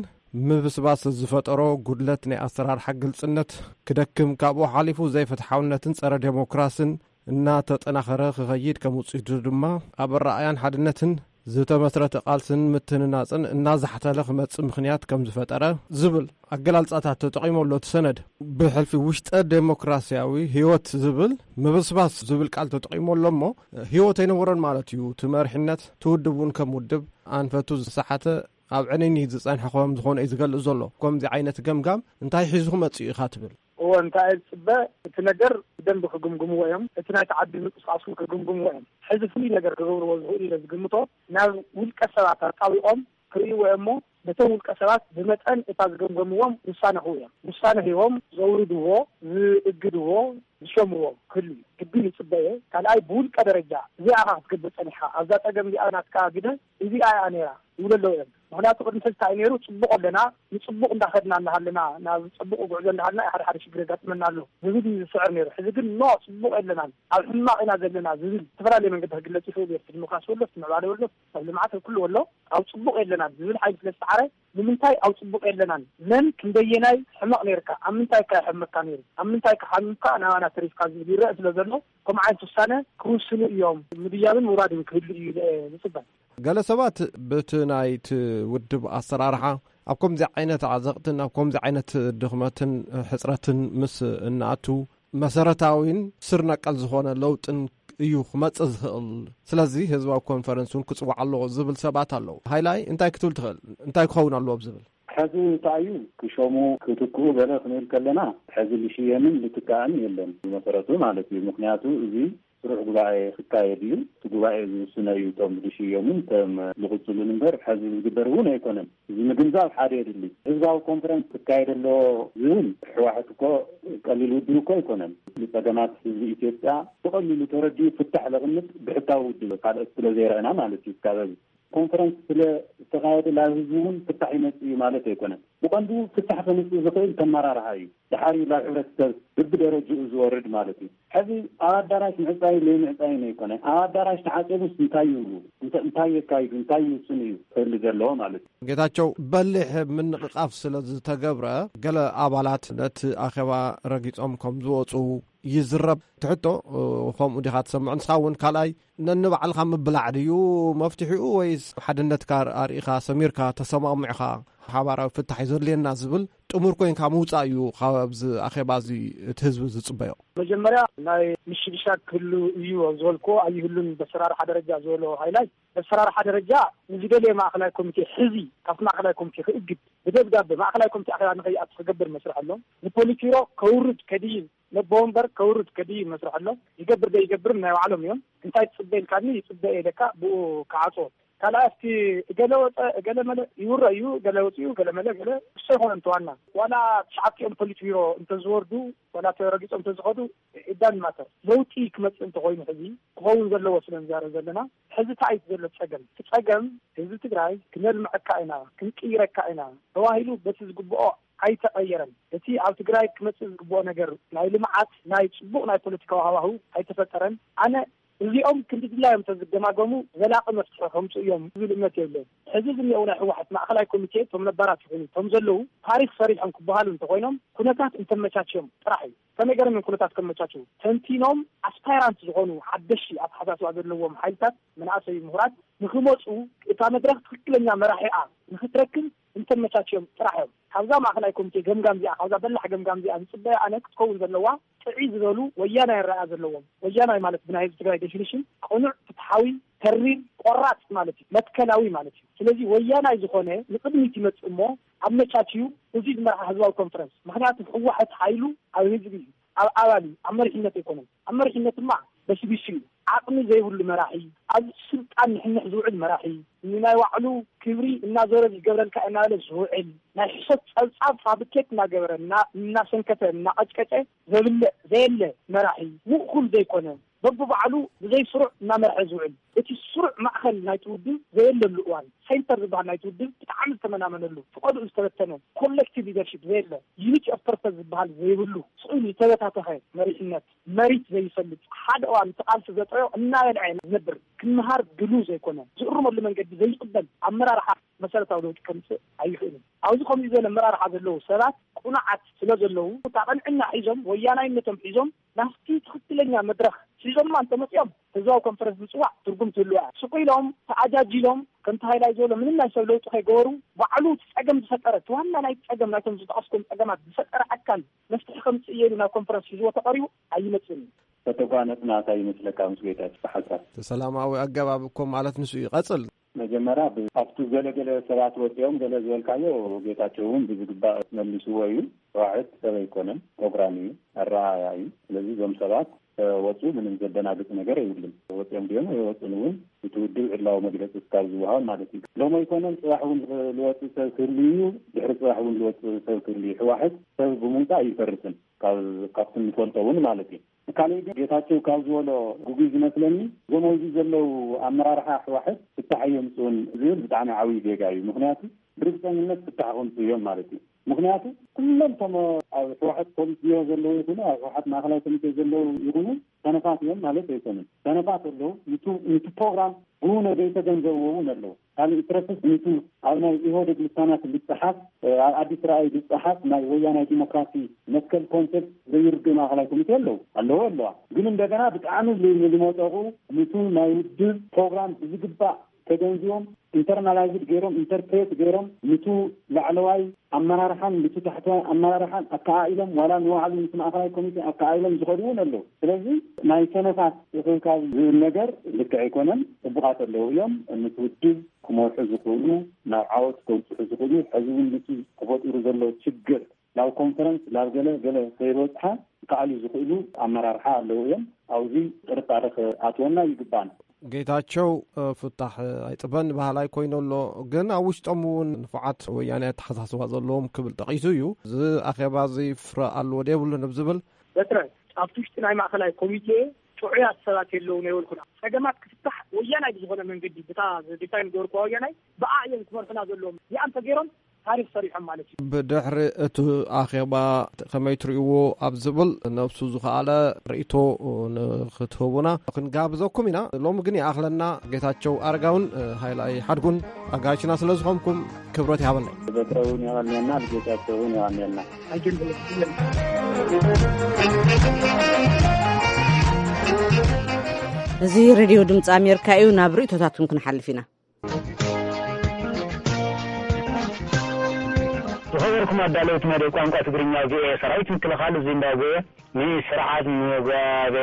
ምብስባስ ዝፈጠሮ ጉድለት ናይ ኣሰራርሓ ግልጽነት ክደክም፣ ካብኡ ሓሊፉ ዘይፍትሓውነትን ጸረ ዴሞክራስን እናተጠናኸረ ክኸይድ፣ ከም ውጽኢቱ ድማ ኣብ ኣረኣእያን ሓድነትን ዝተመስረተ ቃልስን ምትህንናጽን እናዛሕተለ ክመጽእ ምኽንያት ከም ዝፈጠረ ዝብል ኣገላልጻታት ተጠቒሙ ኣሎ። እቲ ሰነድ ብሕልፊ ውሽጠ ዴሞክራሲያዊ ህይወት ዝብል ምብስባስ ዝብል ቃል ተጠቒሙ ኣሎ እሞ ህይወት ኣይነበሮን ማለት እዩ። እቲ መሪሕነት እቲ ውድብ እውን ከም ውድብ ኣንፈቱ ዝሰሓተ ኣብ ዕንኒ ዝጸንሐ ከም ዝኾነ እዩ ዝገልጽ ዘሎ። ከምዚ ዓይነት ገምጋም እንታይ ሒዙ ክመጽእ እዩ ኢኻ ትብል? እወ እንታይ እየ ዝፅበ? እቲ ነገር ብደንቢ ክግምግምዎ እዮም። እቲ ናይቲ ዓዲ ምንቅስቃስ እውን ክግምግምዎ እዮም። ሕዚ ፍሉይ ነገር ክገብርዎ ዝኽእሉ ኢለ ዝግምቶ ናብ ውልቀ ሰባት ኣጣቢቖም ክርእይዎ እዮም እሞ ነቶም ውልቀ ሰባት ብመጠን እታ ዝገምገምዎም ውሳነ ክህቡ እዮም። ውሳነ ሂቦም ዘውርድዎ፣ ዝእግድዎ፣ ዝሸምዎ ክህሉ እዩ። ግድን ይፅበ እየ። ካልኣይ ብውልቀ ደረጃ እዚኣ ኢኻ ክትገብር ፀኒሕካ፣ ኣብዛ ፀገም እዚኣ ናትካ ግደ እዚኣ እያ ነይራ ይብሉ ኣለዉ እዮም። ምኽንያቱ ቅድሚ ሕዚ እንታይ እዩ ነይሩ? ፅቡቕ ኣለና፣ ንፅቡቕ እንዳኸድና እንዳሃለና፣ ናብ ፅቡቕ ጉዕዞ እንዳሃለና ሓደ ሓደ ሽግር የጋጥመና ኣሎ ዝብል እዩ ዝስዕር ነይሩ። ሕዚ ግን ኖ ፅቡቕ የለናን፣ ኣብ ሕማቕ ኢና ዘለና ዝብል ዝተፈላለየ መንገዲ ክግለፅ ይኽእል እዩ። ኣብቲ ዲሞክራሲ ወሎ፣ ኣብቲ ምዕባለ ወሎ፣ ኣብ ልምዓት ኣብ ኩሉ ወሎ ኣብ ፅቡቕ የለናን ዝብል ሓይሊ ስለ ዝሰዓረ ንምንታይ ኣብ ፅቡቕ የለናን? መን ክንደየናይ ሕመቕ ነይርካ? ኣብ ምንታይ ከ ሕመካ ነይሩ? ኣብ ምንታይ ከ ሓሚምካ ናባና ተሪፍካ ዝብል ይረአ ስለ ዘሎ ከምኡ ዓይነት ውሳነ ክውስኑ እዮም። ምድያብን ምውራድን ክህሉ እዩ ኢለ እየ ዝፅበ። ገለ ሰባት በቲ ናይቲ ውድብ ኣሰራርሓ ኣብ ከምዚ ዓይነት ዓዘቕትን ኣብ ከምዚ ዓይነት ድኽመትን ሕፅረትን ምስ እንኣቱ መሰረታዊን ስር ነቀል ዝኾነ ለውጥን እዩ ክመጽእ ዝኽእል። ስለዚ ህዝባዊ ኮንፈረንስ እውን ክጽዋዕ ኣለዎ ዝብል ሰባት ኣለዉ። ሃይላይ እንታይ ክትብል ትኽእል? እንታይ ክኸውን ኣለዎ ዝብል? ሕዚ እንታይ እዩ ክሾሙ ክትክኡ ገለ ክንብል ከለና ሕዚ ልሽየምን ልትካእን የለን ብመሰረቱ ማለት እዩ። ምክንያቱ እዚ ስሩዕ ጉባኤ ክካየድ እዩ። እቲ ጉባኤ ዝውስነ እዩ እቶም ዝሽየሙን እቶም ዝቕፅሉን እምበር ሕዚ ዝግበር እውን ኣይኮነን። እዚ ምግንዛብ ሓደ የድሊ። ህዝባዊ ኮንፈረንስ ክካየድ ኣለዎ ዝብል ህወሓት እኮ ቀሊል ውድብ እኮ ኣይኮነን። ንፀገማት ህዝቢ ኢትዮጵያ ብቐሊሉ ተረዲኡ ፍታሕ ዘቕምጥ ብሕታዊ ውድብ ካልኦት ስለ ዘይረአና ማለት እዩ። ካብ ኮንፈረንስ ስለ ዝተኻየደ ላብ ህዝቢ እውን ፍታሕ ይመጽእ እዩ ማለት ኣይኮነን። ብቐንዱ ፍታሕ ከምጽእ ዝኽእል ተመራርሃ እዩ። ድሓር እዩ ላብ ሕብረተሰብ ብብደረጅኡ ዝወርድ ማለት እዩ። ሕዚ ኣብ ኣዳራሽ ምዕጻይ ለይምዕጻይ ኣይኮነ። ኣብ ኣዳራሽ ተዓጸቡስ እንታይ ይብሉ? እንተ-፣ እንታይ የካይዱ? እንታይ ይውስኑ እዩ ክህሉ ዘለዎ ማለት እዩ። ጌታቸው፣ በሊሕ ምንቕቓፍ ስለ ዝተገብረ ገለ ኣባላት ነቲ ኣኼባ ረጊጾም ከም ዝወጹ ይዝረብ። ትሕቶ፣ ከምኡ ዲኻ ትሰምዕ ንስኻ እውን? ካልኣይ፣ ነንባዕልኻ ምብላዕ ድዩ መፍትሒኡ ወይስ ሓድነትካ ኣርኢኻ ሰሚርካ ተሰማሚዕኻ ሓባራዊ ፍታሕ እዩ ዘድልየና ዝብል ጥሙር ኮይንካ ምውጻእ እዩ ካብዚ ኣኼባ እዚ እቲ ህዝቢ ዝጽበዮ? መጀመርያ ናይ ምሽግሻግ ክህሉ እዩ ዝበልክዎ ኣይህሉን። በሰራርሓ ደረጃ ዝበሎ ሃይላይ በሰራርሓ ደረጃ ንዝደለየ ማእኸላይ ኮሚቴ ሕዚ ካብቲ ማእኸላይ ኮሚቴ ክእግድ ብደብዳበ ማእኸላይ ኮሚቴ ኣኼባ ንኸይኣቱ ክገብር መስርሕ ኣሎ። ንፖሊትቢሮ ከውርድ ከድይብ ነቦ ወንበር ከውርድ ከድይብ መስርሕ ኣሎ። ይገብር ዶ ይገብር ናይ ባዕሎም እዮም። እንታይ ትፅበ ኢልካኒ ይፅበ እየ ኢለካ ብኡ ክዓፅዎ። ካልኣይ ኣብቲ እገለ ወፀ እገለ መለ ይውረ እዩ። እገለ ወፂኡ እገለ መለ ገለ እሱ ኣይኮነን እቲ ዋና። ዋላ ትሽዓቲኦም ፖሊትቢሮ እንተዝወርዱ ዋላ ተረጊፆም እንተዝኸዱ ኢዳን ማተር ለውጢ ክመፅእ እንተኮይኑ ሕዚ ክኸውን ዘለዎ ስለ ንዛረብ ዘለና ሕዚ እንታይ እዩ ዘሎ ፀገም? እቲ ፀገም ህዝቢ ትግራይ ክነልምዐካ ኢና ክንቅይረካ ኢና ተባሂሉ በቲ ዝግብኦ ኣይተቐየረን። እቲ ኣብ ትግራይ ክመፅእ ዝግብኦ ነገር ናይ ልምዓት ናይ ፅቡቕ ናይ ፖለቲካዊ ሃዋህው ኣይተፈጠረን። ኣነ እዚኦም ክንዲ ድላዮም እንተዝደማገሙ ዘላቒ መፍትሒ ከምፅኡ እዮም ዝብል እምነት የብለይን። ሕዚ ዝኒአው ናይ ህወሓት ማእኸላይ ኮሚቴ እቶም ነባራት ይኹኑ እቶም ዘለዉ ታሪክ ሰሪሖም ክበሃሉ እንተኮይኖም ኩነታት እንተመቻችዮም ጥራሕ እዩ። ከመይ ገይሮም እዮም ኩነታት ከመቻችው? ተንቲኖም ኣስፓይራንት ዝኾኑ ሓደሽቲ ኣተሓሳስባ ዘለዎም ሓይልታት መናእሰይ ምሁራት ንክመፁ እታ መድረክ ትክክለኛ መራሒኣ ንክትረክብ እንተመቻችዮም ጥራሕ እዮም። ካብዛ ማእኸላይ ኮሚቴ ገምጋም እዚኣ ካብዛ በላሕ ገምጋም እዚኣ ዝፅበያ ኣነ ክትከውን ዘለዋ ጥዕይ ዝበሉ ወያናይ ኣረኣእያ ዘለዎም፣ ወያናይ ማለት ብናይ ህዝቢ ትግራይ ዴፊኒሽን ቅኑዕ፣ ፍትሓዊ፣ ተሪር፣ ቆራፅ ማለት እዩ፣ መትከላዊ ማለት እዩ። ስለዚ ወያናይ ዝኾነ ንቅድሚት ይመፅእ እሞ ኣመቻችዩ እዚ ዝመርሓ ህዝባዊ ኮንፈረንስ። ምክንያቱ ህወሓት ሓይሉ ኣብ ህዝቢ እዩ፣ ኣብ ኣባል እዩ፣ ኣብ መሪሕነት ኣይኮነን። ኣብ መሪሕነት ድማ በስቢሱ እዩ። ዓቕሚ ዘይብሉ መራሒ፣ ኣብ ስልጣን ንሕንሕ ዝውዕል መራሒ፣ ንናይ ባዕሉ ክብሪ እናዞረ ዝገብረልካ እናበለ ዝውዕል ናይ ሕሶት ፀብፃብ ፋብሪኬት እናገበረ እና-፣ እናሰንከተ እናቐጭቀጨ ዘብልዕ ዘየለ መራሒ፣ ውእኩል ዘይኮነ በብባዕሉ ብዘይ ስሩዕ እናመርሐ ዝውዕል፣ እቲ ስሩዕ ማእኸል ናይቲ ውድብ ዘየለሉ እዋን፣ ሴንተር ዝበሃል ናይቲ ውድብ ብጣዕሚ ዝተመናመነሉ፣ ፍቐድኡ ዝተበተነ፣ ኮሌክቲቭ ሊደርሺፕ ዘየለ፣ ዩኒቲ ኦፍ ፐርፐስ ዝበሃል ዘይብሉ፣ ስቕ ኢሉ ዝተበታተኸ መሪሕነት፣ መሪት ዘይፈልጥ፣ ሓደ እዋን እቲ ቃልሲ ዘጥረዮ እናበልዐ ዝነብር፣ ክምሃር ድሉው ዘይኮነ፣ ዝእርመሉ መንገዲ ዘይቅበል ኣመራርሓ መሰረታዊ ለውጢ ከምፅእ ኣይኽእልን። ኣብዚ ከምዚ ዝበለ ኣመራርሓ ዘለዉ ሰባት ቁኑዓት ስለ ዘለዉ፣ እታ ቅንዕና ሒዞም፣ ወያናይነቶም ሒዞም፣ ናብቲ ትኽክለኛ መድረኽ ሒዞማ እንተመፂኦም፣ ህዝባዊ ኮንፈረንስ ምፅዋዕ ትርጉም ትህልዋ እያ። ስቕ ኢሎም ተኣጃጂሎም፣ ከምቲ ሃይላይ ዝበሎ፣ ምንም ናይ ሰብ ለውጢ ከይገበሩ፣ ባዕሉ እቲ ፀገም ዝፈጠረ፣ እቲ ዋና ናይ ፀገም፣ ናይቶም ዝጠቐስኩም ፀገማት ዝፈጠረ ኣካል መፍትሒ ከምፅእ እየ ኢሉ ናብ ኮንፈረንስ ሒዝዎ ተቐሪቡ ኣይመፅእን እዩ። ተተጓነጽና እንታይ ይመስለካ ምስ ጌታቸው ብሓሳብ? ሰላማዊ ኣገባብ እኮ ማለት ንሱ እዩ። ቀጽል። መጀመርያ ብ-፣ ኣብቲ ገለገለ ሰባት ወጺኦም ገለ ዝበልካዮ፣ ጌታቸው እውን ብዝግባእ መሊስዎ እዩ። ህወሓት ሰብ ኣይኮነን፣ ፕሮግራም እዩ፣ ኣረኣእያ እዩ። ስለዚ እዞም ሰባት፣ እ፣ ወጹ፣ ምንም ዘደናግጽ ነገር የብሉን። ወጺኦም ድዮም ኣይወጹን እውን እቲ ውድብ ዕላዊ መግለጺ እስካብ ዝወሃብ ማለት እዩ። ሎም ኣይኮነን፣ ጽባሕ እውን ዝወጽእ ሰብ ክህሉ እዩ፣ ድሕሪ ጽባሕ እውን ዝወጽእ ሰብ ክህሉ እዩ። ህወሓት ሰብ ብምውጻእ ኣይፈርስን፣ ካብ፣ ካብቲ እንፈልጦ እውን ማለት እዩ። ካልእ ግን ጌታቸው ካብ ዝበሎ ግጉይ ዝመስለኒ፣ እዞም ኣብዚ ዘለዉ ኣመራርሓ ህወሓት ፍታሕ የምፅኡን ዝብል ብጣዕሚ ዓብዪ ጌጋ እዩ። ምኽንያቱ ብርግፀኝነት ፍታሕ ከምፅኡ እዮም ማለት እዩ። ምኽንያቱ ኩሎም እቶም ኣብ ህወሓት ፖሊት ቢሮ ዘለዉ ይኹኑ ኣብ ህወሓት ማእኸላይ ኮሚቴ ዘለዉ ይኹኑ ሰነፋት እዮም ማለት ኣይኮኑን። ሰነፋት ኣለዉ። ንቱ፣ ንቱ ፕሮግራም ብውነ ዘይተገንዘብዎ እውን ኣለዉ። ካልእ ይትረፍስ ንቱ ኣብ ናይ ኢህወዴግ ልሳናት ዝፀሓፍ፣ ኣብ ኣዲስ ራእይ ዝፀሓፍ ናይ ወያናይ ዲሞክራሲ መትከል ኮንሰፕት ዘይርድእ ማእኸላይ ኮሚቴ ኣለዉ። ኣለዎ ኣለዋ። ግን እንደገና ብጣዕሚ ል-፣ ል-፣ ልመጠቑ ንቱ ናይ ውድብ ፕሮግራም ብዝግባእ ተገንዚቦም ኢንተርናላይዝድ ገይሮም ኢንተርፕሬት ገይሮም ንቱ ላዕለዋይ ኣመራርሓን ንቱ ታሕተዋይ ኣመራርሓን ኣከኣኢሎም ዋላ ንባዕሉ ንቲ ማእኸላይ ኮሚቴ ኣከኣኢሎም ዝኸዱ እውን ኣለዉ። ስለዚ ናይ ሰነፋት እኽብካብ ዝብል ነገር ልክዕ ኣይኮነን። ፅቡቓት ኣለዉ እዮም። ንቲ ውድብ ክመርሑ ዝኽእሉ፣ ናብ ዓወት ከብፅሑ ዝኽእሉ፣ ሕዚ እውን ንቲ ተፈጢሩ ዘሎ ችግር ናብ ኮንፈረንስ ናብ ገለ ገለ ከይበፅሓ ክከኣሉ ዝኽእሉ ኣመራርሓ ኣለዉ እዮም። ኣብዚ ጥርጣረ ክኣትወና ይግባን። ጌታቸው፣ እ፣ ፍታሕ ኣይጥበን በሃላይ ኮይኑ ኣሎ። ግን ኣብ ውሽጦም እውን ንፉዓት ወያኔ ኣተሓሳስባ ዘለዎም ክብል ጠቒሱ እዩ። እዚ ኣኼባ እዚ ፍረ ኣለዎ ዶ የብሉን ኣብ ዝብል በትረ ኣብቲ ውሽጢ ናይ ማእኸላይ ኮሚቴ ጥዑያት ሰባት የለውን ኣይበልኩን። ፀገማት ክፍታሕ ወያናይ ብዝኾነ መንገዲ ብታ ዲፋይን ዝገበርኩዋ ወያናይ ብኣ እዮም ክመርሑና ዘለዎም። እዚኣ እንተገይሮም ታሪኽ ሰሪሖም ማለት እዩ። ብድሕሪ እቲ ኣኼባ ከመይ ትርእይዎ ኣብ ዝብል ነብሱ ዝኸኣለ ርእይቶ ንክትህቡና ክንጋብዘኩም ኢና። ሎሚ ግን ይኣኽለና። ጌታቸው ኣረጋውን ሃይላይ ሓድጉን ኣጋይሽና ስለ ዝኾንኩም ክብረት ይሃበለይ። በትረ እውን የቐንየልና፣ ንጌታቸው እውን የቐንየልና። እዚ ሬድዮ ድምፂ ኣሜሪካ እዩ። ናብ ርእይቶታትኩም ክንሓልፍ ኢና። ዝኸበርኩም ኣዳለውቲ መደብ ቋንቋ ትግርኛ ቪኦኤ፣ ሰራዊት ምክልኻል ዚምባብዌ ንስርዓት ሙጋቤ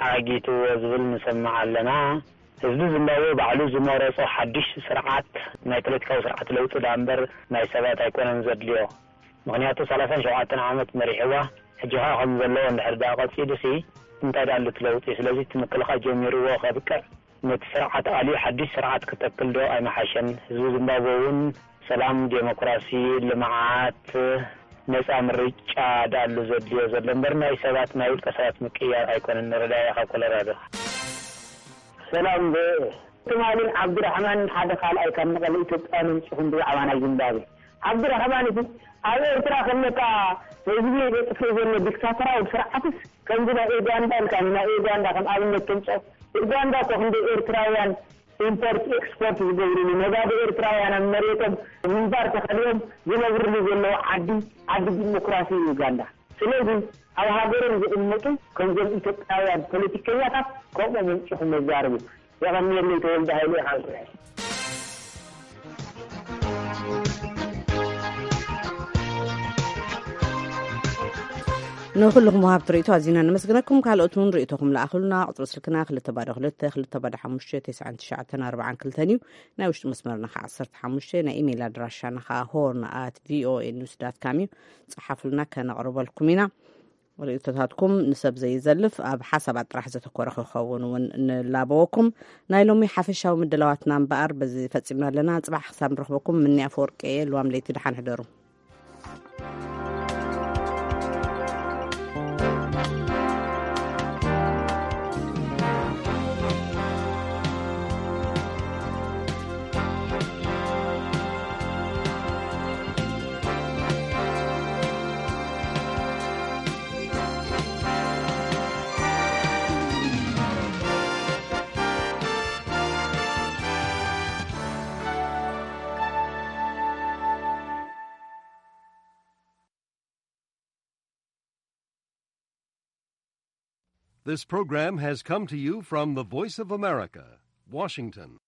ኣጊትዎ ዝብል ንሰምዕ ኣለና። ህዝቢ ዚምባብዌ ባዕሉ ዝመረጾ ሓድሽ ስርዓት ናይ ፖለቲካዊ ስርዓት ለውጢ ደኣ እምበር ናይ ሰባት ኣይኮነን ዘድልዮ። ምኽንያቱ ሰላሳን ሸውዓተን ዓመት መሪሕዋ፣ ሕጂ ኸኣ ከም ዘለዎ እንድሕር ደኣ ቀጺሉሲ እንታይ ደኣ ኣሎ እቲ ለውጢ? ስለዚ እቲ ምክልኻል ጀሚርዎ ከብቅዕ ነቲ ስርዓት ኣልዩ ሓድሽ ስርዓት ክተክል ዶ ኣይመሓሸን? ህዝቢ ዚምባብወ እውን ሰላም፣ ዴሞክራሲ፣ ልምዓት፣ ነጻ ምርጫ ደኣሉ ዘድልዮ ዘሎ እምበር ናይ ሰባት፣ ናይ ውልቀ ሰባት ምቅያር ኣይኮነን። ንረዳያ ካብ ኮሎራዶ። ሰላም ቪኦኤ። ትማልን ዓብዱራሕማንን ሓደ ካልኣይ ካብ መቐለ ኢትዮጵያ መምፂኹም ብዛዕባ ናይ ዚምባብዌ። ዓብዱራሕማን እቲ ኣብ ኤርትራ ከለካ ህዝቢ ዘጥፍእ ዘሎ ዲክታተራዊ ስርዓትስ ከምዚ ናይ ኡጋንዳ ኢልካ ናይ ኡጋንዳ ከም ኣብነት ተምፅኦ። ኡጋንዳ እኮ ክንደይ ኤርትራውያን ኢምፖርት ኤክስፖርት ዝገብርሉ፣ ነጋዶ ኤርትራውያን ኣብ መሬቶም ምንባር ተኸሊኦም ዝነብርሉ ዘለዉ ዓዲ፣ ዓዲ ዲሞክራሲ እዩ ኡጋንዳ። ስለዚ ኣብ ሃገሮም ዝቕመጡ ከምዞም ኢትዮጵያውያን ፖለቲከኛታት ከምኦም ኣምጺኹም መዛርቡ። የቐንየለይ። ተወልደ ሃይለ ኢኻ። ንኹልኹም ወሃብቲ ርእይቶ ኣዚና ነመስግነኩም። ካልኦት እውን ርእይቶኹም ለኣኹልና። ቁጽሪ ስልክና ክልተ ባዶ ክልተ፣ ክልተ ባዶ ሓሙሽተ፣ ተስዓን ትሽዓተን ኣርባዓን ክልተን እዩ። ናይ ውሽጢ መስመርና ኸዓ ዓሰርተ ሓሙሽተ፣ ናይ ኢሜይል ኣድራሻና ኸዓ ሆርን ኣት ቪኦኤ ኒውስ ዳት ካም እዩ። ጸሓፉልና፣ ከነቕርበልኩም ኢና። ርእይቶታትኩም ንሰብ ዘይዘልፍ፣ ኣብ ሓሳባት ጥራሕ ዘተኮረ ክኸውን እውን ንላበወኩም። ናይ ሎሚ ሓፈሻዊ ምድላዋትና እምበኣር በዚ ፈጺምና ኣለና። ጽባሕ ክሳብ ንረኽበኩም፣ ምኒ ኣፈወርቂ እየ። ልዋም ለይቲ ደሓን ሕደሩ። This program has come to you from the Voice of America, Washington.